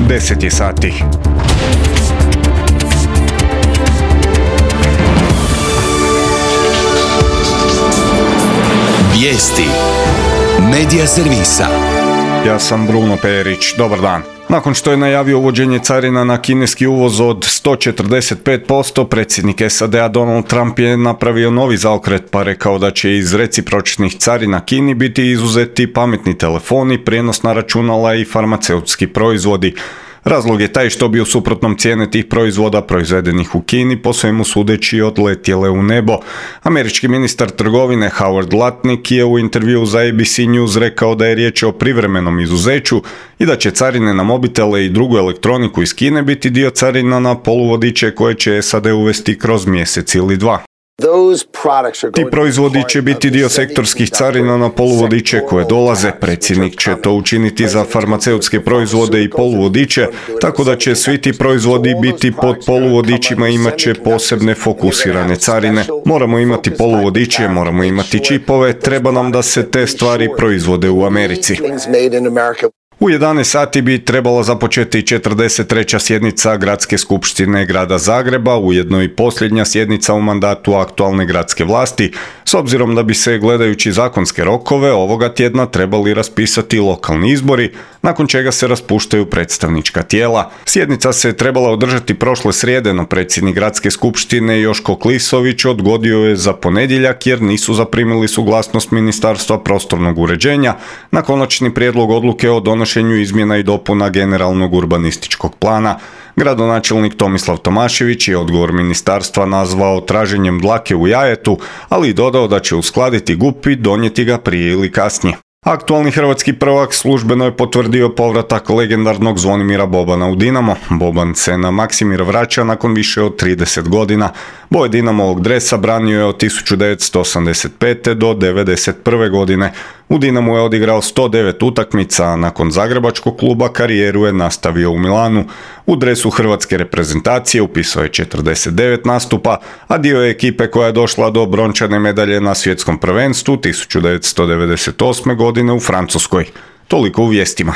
10 je sati. Vijesti Medija servisa. Ja sam Bruno Perić, dobar dan. Nakon što je najavio uvođenje carina na kineski uvoz od 145%, predsjednik SAD-a Donald Trump je napravio novi zaokret pa rekao da će iz recipročnih carina Kini biti izuzeti pametni telefoni, prijenosna računala i farmaceutski proizvodi. Razlog je taj što bi u suprotnom cijene tih proizvoda proizvedenih u Kini po svemu sudeći odletjele u nebo. Američki ministar trgovine Howard Lutnick je u intervjuu za ABC News rekao da je riječ o privremenom izuzeću i da će carine na mobitele i drugu elektroniku iz Kine biti dio carina na poluvodiče koje će SAD uvesti kroz mjesec ili dva. Ti proizvodi će biti dio sektorskih carina na poluvodiče koje dolaze. Predsjednik će to učiniti za farmaceutske proizvode i poluvodiče, tako da će svi ti proizvodi biti pod poluvodičima i imat će posebne fokusirane carine. Moramo imati poluvodiče, moramo imati čipove, treba nam da se te stvari proizvode u Americi. U 11 sati bi trebala započeti 43. sjednica Gradske skupštine Grada Zagreba, ujedno i posljednja sjednica u mandatu aktualne gradske vlasti, s obzirom da bi se, gledajući zakonske rokove, ovoga tjedna trebali raspisati lokalni izbori, nakon čega se raspuštaju predstavnička tijela. Sjednica se trebala održati prošle srijede, no predsjednik Gradske skupštine Joško Klisović odgodio je za ponedjeljak jer nisu zaprimili suglasnost Ministarstva prostornog uređenja na konačni prijedlog odluke o donošenju izmjena i dopuna generalnog urbanističkog plana. Gradonačelnik Tomislav Tomašević je odgovor ministarstva nazvao traženjem dlake u jajetu, ali i dodao da će uskladiti GUP i donijeti ga prije ili kasnije. Aktualni hrvatski prvak službeno je potvrdio povratak legendarnog Zvonimira Bobana u Dinamo. Boban se na Maksimir vraća nakon više od 30 godina. Boje Dinamovog dresa branio je od 1985. do 1991. godine. U Dinamu je odigrao 109 utakmica, a nakon zagrebačkog kluba karijeru je nastavio u Milanu. U dresu hrvatske reprezentacije upisao je 49 nastupa, a dio je ekipe koja je došla do brončane medalje na svjetskom prvenstvu 1998. godine u Francuskoj. Toliko u vijestima.